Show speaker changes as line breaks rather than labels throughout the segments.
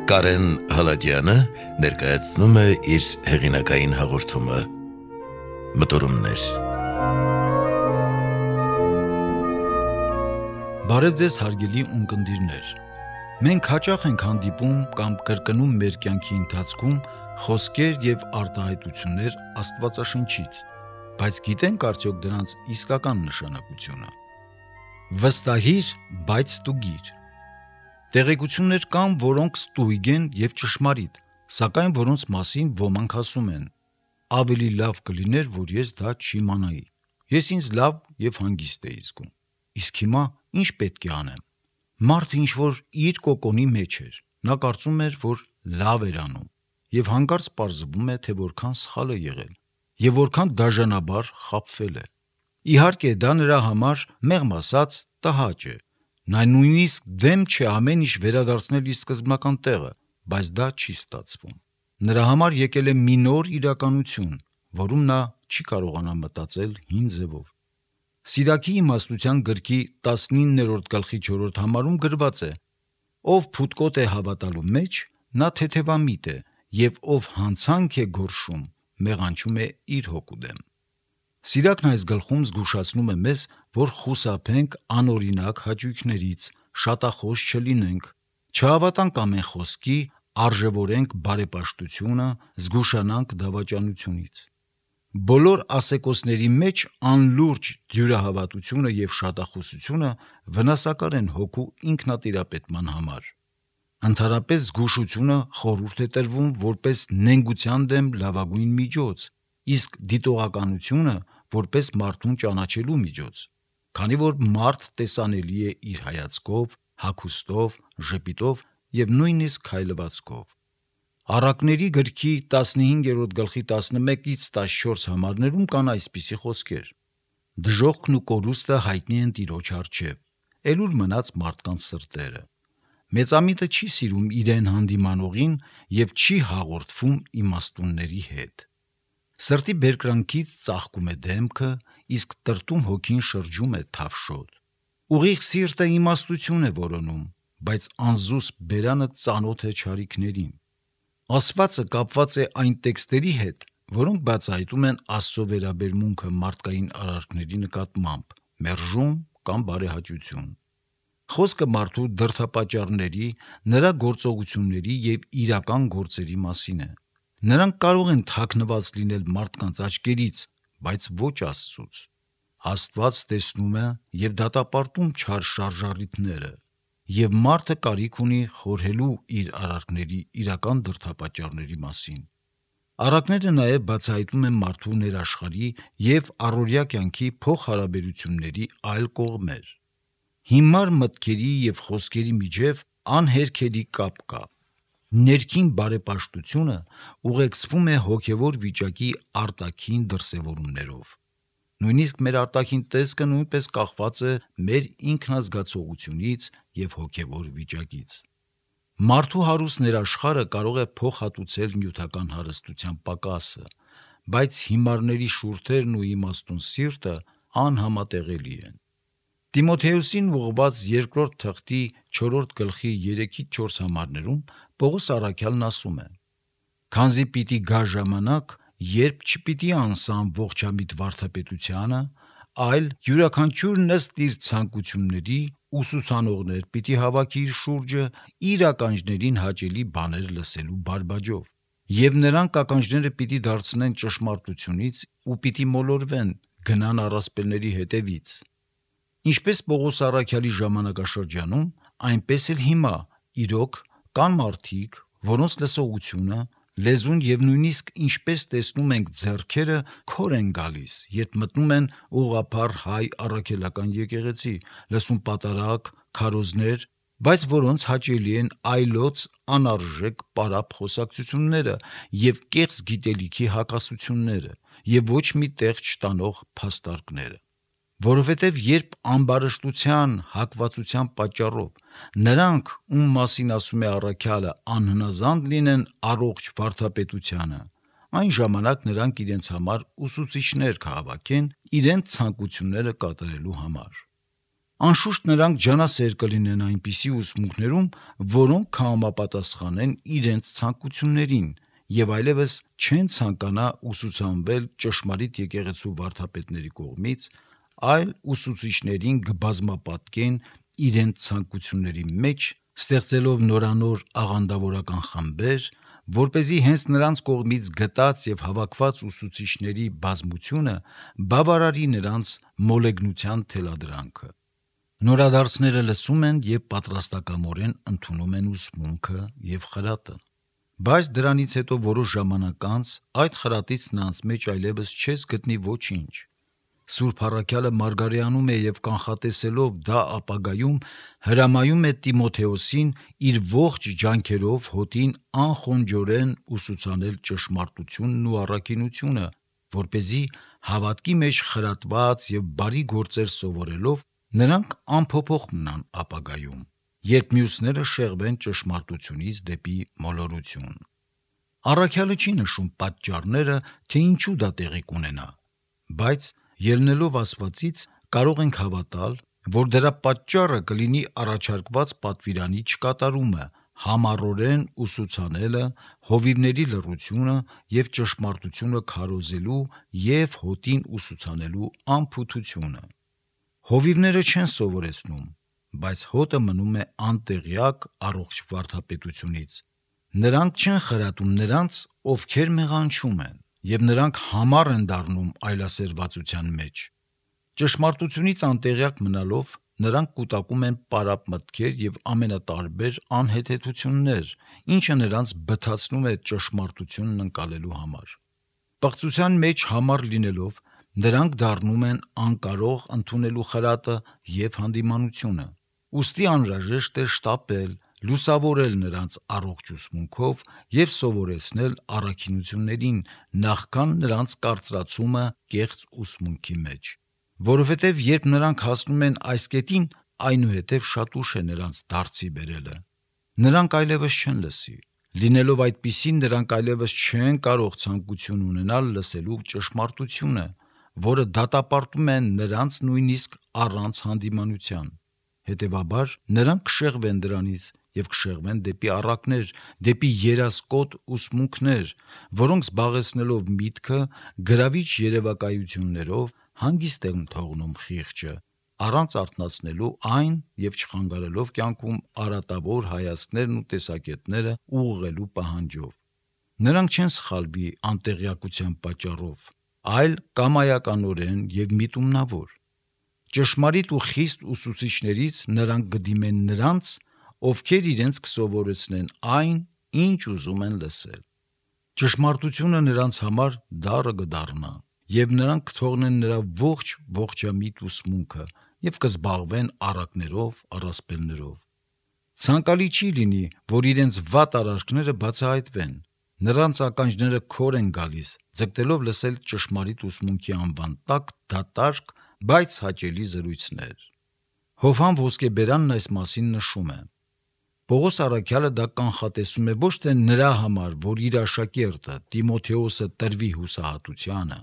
Կարեն Հալաջյանը ներկայացնում է իր հեղինակային հաղորդումը Մտորումներ։
Բարև ձեզ հարգելի ունկնդիրներ։ Մենք հաճախ ենք հանդիպում կամ կրկնում մեր կյանքի ընթացքում խոսքեր եւ արտահայտություններ Աստվածաշնչից, բայց գիտենք արդյոք դրանց իսկական նշանակությունը։ Վստահիր, բայց ստուգիր։ Տեղեկություններ կան, որոնք ստույգ են եւ ճշմարիտ, սակայն որոնց մասին ոմանք ասում են. ավելի լավ կլիներ, որ ես դա չիմանայի։ Ես ինձ լավ եւ հանգիստ էի զգում։ Իսկ հիմա ինչ պետք է անեմ։ Մարդը ինչ-որ իր կոկոնի մեջ էր։ Նա կարծում էր, որ լավ էր անում եւ հանկարծ պարզվում է, թե որքան սխալ է եղել եւ որքան դաժանաբար խաբվել է։ Իհարկե, դա նրա համար մեղմ ասած տհաճ է։ Նա նույնիսկ դեմ չէ ամեն ինչ վերադարձնել իր սկզբնական տեղը, բայց դա չի ստացվում։ Նրա համար եկել է մի նոր իրականություն, որում նա չի կարողանա մտածել հին ձևով։ Սիրակի իմաստության գրքի 19-րդ գլխի 4-րդ համարում գրված է. ով փութկոտ է հավատալու մեջ, նա թեթևամիտ է, եւ ով հանցանք է գորշում, մեղանչում է իր հոգու դեմ։ Սիրակն այս գլխում զգուշացնում է մեզ, որ խուսափենք անօրինակ հաճույքներից, շատախոս չլինենք, չհավատանք ամեն խոսքի, արժևորենք բարեպաշտությունը, զգուշանանք դավաճանությունից։ Բոլոր ասեկոսների մեջ անլուրջ դյուրահավատությունը եւ շատախոսությունը վնասակար են հոգու ինքնատիրապետման համար։ Ընդհանրապես զգուշությունը խորհուրդ է տրվում որպես նենգության դեմ լավագույն միջոց, իսկ դիտողականությունը որպես մարդուն ճանաչելու միջոց, քանի որ մարդ տեսանելի է իր հայացքով, հագուստով, ժպիտով եւ նույնիսկ քայլվածքով։ Առակների գրքի 15-րդ գլխի 11-ից 14 համարներում կան այսպիսի խոսքեր. դժոխքն ու կորուստը հայտնի են Տիրոջ առջև, ելուր մնաց մարդկանց սրտերը։ Մեծամիտը չի սիրում իրեն հանդիմանողին եւ չի հաղորդվում իմաստունների հետ։ Սրտի բերկրանքից ծաղկում է դեմքը, իսկ տրտում հոգին շրջում է թավշոտ։ Ուղիղ սիրտը իմաստություն է որոնում, բայց անզուսպ բերանը ծանոթ է չարիքներին։ Ասվածը կապված է այն տեքստերի հետ, որոնք բացահայտում են Աստծո վերաբերմունքը մարդկային արարքների նկատմամբ, մերժում կամ բարեհաճություն։ Խոսքը մարդու դրդապատճառների, նրա գործողությունների եւ իրական գործերի մասին է։ Նրանք կարող են թաքնված լինել մարդկանց աչքերից, բայց ոչ Աստծուց։ Աստված տեսնում է եւ դատապարտում չար շարժառիթները, եւ մարդը կարիք ունի խորհելու իր արարքների իրական դրդապատճառների մասին։ Առակները նաև բացահայտում են մարդու ներաշխարհի եւ առօրյա կյանքի փոխհարաբերությունների այլ կողմեր։ Հիմար մտքերի եւ խոսքերի միջև անհերքելի կապ կա։ Ներքին բարեպաշտությունը ուղեկցվում է հոգևոր վիճակի արտաքին դրսևորումներով։ Նույնիսկ մեր արտաքին տեսքը նույնպես կախված է մեր ինքնազգացողությունից եւ հոգևոր վիճակից։ Մարդու հարուստ ներաշխարհը կարող է փոխհատուցել նյութական հարստության պակասը, բայց հիմարների շուրթերն ու իմաստուն սիրտը անհամատեղելի են։ Տիմոթեոսին ուղղված 2-րդ թղթի 4-րդ գլխի 3-4 համարներում Պողոս առաքյալն ասում է. «Քանզի պիտի գա ժամանակ, երբ չպիտի անսան ողջամիտ վարդապետությանը, այլ յուրաքանչյուրն ըստ իր ցանկությունների ուսուցանողներ պիտի հավաքի իր շուրջը իր ականջներին հաճելի բաներ լսելու բարբաջով, եւ նրանք ականջները պիտի դարձնեն ճշմարտությունից ու պիտի մոլորվեն, գնան առասպելների հետևից»։ Ինչպես Պողոս առաքյալի ժամանակաշրջանում, այնպես էլ հիմա, իրոք, կան մարդիկ, որոնց լսողությունը, լեզուն եւ նույնիսկ ինչպես տեսնում ենք ձեռքերը քոր են գալիս, երբ մտնում են ուղղափառ հայ առաքելական եկեղեցի, լսում պատարագ, քարոզներ, բայց որոնց հաճելի են այլոց անարժեք պարապ խոսակցությունները եւ կեղծ գիտելիքի հակասությունները եւ ոչ մի տեղ չտանող փաստարկները։ Որովհետև երբ ամբարշտության, հակվածության պատճառով նրանք, ում մասին ասում է առաքյալը, անհնազանդ լինեն առողջ վարդապետությանը, այն ժամանակ նրանք իրենց համար ուսուցիչներ կհավաքեն իրենց ցանկությունները կատարելու համար։ Անշուշտ նրանք ջանասեր կլինեն այնպիսի ուսմունքներում, որոնք կհամապատասխանեն իրենց ցանկություններին եւ այլևս չեն ցանկանա ուսուցանվել ճշմարիտ եկեղեցու վարդապետների կողմից, այլ ուսուցիչներին կբազմապատկեն իրենց ցանկությունների մեջ, ստեղծելով նորանոր աղանդավորական խմբեր, որպեսզի հենց նրանց կողմից գտած եւ հավաքված ուսուցիչների բազմությունը բավարարի նրանց մոլեգնության թելադրանքը։ Նորադարձները լսում են եւ պատրաստակամորեն ընդունում են ուսմունքը եւ խրատը, բայց դրանից հետո որոշ ժամանակ անց այդ խրատից նրանց մեջ այլևս չես գտնի ոչինչ։ Սուրբ առաքյալը մարգարեանում է եւ կանխատեսելով դա ապագայում հրամայում է Տիմոթեոսին իր ողջ ջանքերով հոտին անխոնջորեն ուսուցանել ճշմարտությունն ու առաքինությունը, որպեսզի հավատքի մեջ խրատված եւ բարի գործեր սովորելով նրանք անփոփոխ մնան ապագայում, երբ մյուսները շեղվեն ճշմարտությունից դեպի մոլորություն։ Առաքյալը չի նշում պատճառները, թե ինչու դա տեղի կունենա, բայց ելնելով ասվածից կարող ենք հավատալ, որ դրա պատճառը կլինի առաջարկված պատվիրանի չկատարումը, համառորեն ուսուցանելը, հովիվների լռությունը եւ ճշմարտությունը քարոզելու եւ հոտին ուսուցանելու անփութությունը։ Հովիվները չեն սովորեցնում, բայց հոտը մնում է անտեղյակ առողջ վարդապետությունից։ Նրանք չեն խրատում նրանց, ովքեր մեղանչում են, եւ նրանք համառ են դառնում այլասերվածության մեջ։ Ճշմարտությունից անտեղյակ մնալով նրանք կուտակում են պարապ մտքեր եւ ամենատարբեր անհեթեթություններ, ինչը նրանց բթացնում է ճշմարտությունն ընկալելու համար։ Պղծության մեջ համառ լինելով նրանք դառնում են անկարող ընդունելու խրատը եւ հանդիմանությունը։ Ուստի անհրաժեշտ է շտապել, լուսավորել նրանց առողջ ուսմունքով եւ սովորեցնել առաքինություններին նախքան նրանց կարծրացումը կեղծ ուսմունքի մեջ, որովհետեւ երբ նրանք հասնում են այս կետին, այնուհետև շատ ուշ է նրանց դարձի բերելը։ Նրանք այլևս չեն լսի։ Լինելով այդպիսին, նրանք այլևս չեն կարող ցանկություն ունենալ լսելու ճշմարտությունը, որը դատապարտում է նրանց նույնիսկ առանց հանդիմանության։ Հետևաբար նրանք կշեղվեն դրանից եւ կշեղվեն դեպի առակներ, դեպի երասկոտ ուսմունքներ, որոնք զբաղեցնելով միտքը գրավիչ երևակայություններով հանգիստ են թողնում խիղճը, առանց արթնացնելու այն եւ չխանգարելով կյանքում արատավոր հայացքներն ու տեսակետները ուղղելու պահանջով։ Նրանք չեն սխալվի անտեղյակության պատճառով, այլ կամայականորեն եւ միտումնավոր։ Ճշմարիտ ու խիստ ուսուցիչներից նրանք կդիմեն նրանց, ովքեր իրենց կսովորեցնեն այն, ինչ ուզում են լսել։ Ճշմարտությունը նրանց համար դառը կդառնա, եւ նրանք կթողնեն նրա ողջամիտ ուսմունքը եւ կզբաղվեն առակներով, առասպելներով։ Ցանկալի չի լինի, որ իրենց վատ արարքները բացահայտվեն։ Նրանց ականջները քոր են գալիս, ձգտելով լսել ճշմարիտ ուսմունքի անվան տակ դատարկ, բայց հաճելի զրույցներ։ Հովհան Ոսկեբերանն այս մասին նշում է. Պողոս առաքյալը դա կանխատեսում է ոչ թե նրա համար, որ իր աշակերտը Տիմոթեոսը տրվի հուսահատությանը,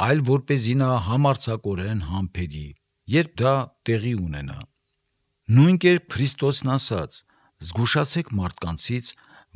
այլ որպեսզի նա համարձակորեն համբերի, երբ դա տեղի ունենա։ Նույն կերպ Քրիստոսն ասաց. «Զգուշացեք մարդկանցից,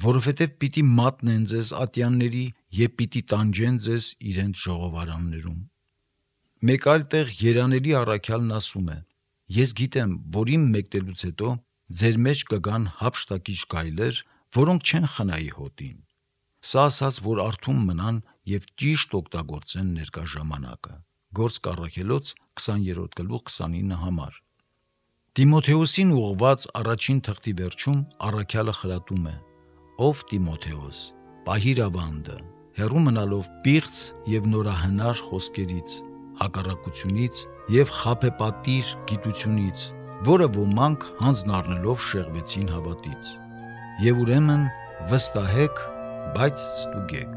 որովհետև պիտի մատնեն ձեզ ատյանների եւ պիտի տանջեն ձեզ իրենց ժողովարաններում»։ Մեկ այլ տեղ երանելի առաքյալն ասում է. «Ես գիտեմ, որ իմ մեկնելուց հետո ձեր մեջ կգան հափշտակիչ գայլեր, որոնք չեն խնայի հոտին»։ Սա ասաց, որ արթուն մնան եւ ճիշտ օգտագործեն ներկա ժամանակը։ Գործք Առաքելոց 20:29 համար։ Տիմոթեոսին ուղղված առաջին թղթի վերջում առաքյալը խրատում է. «Ով Տիմոթեոս, պահիր ավանդը, հեռու մնալով պիղծ եւ նորահնար խոսքերից, հակառակությունից եւ խաբեպատիր գիտությունից, որը ոմանք հանձն առնելով շեղվեցին հավատից։ Եվ ուրեմն վստահեք, բայց ստուգեք»։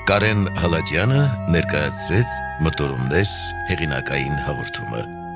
Կարեն Հալաջյանը ներկայացրեց Մտորումներ հեղինակային հաղորդումը։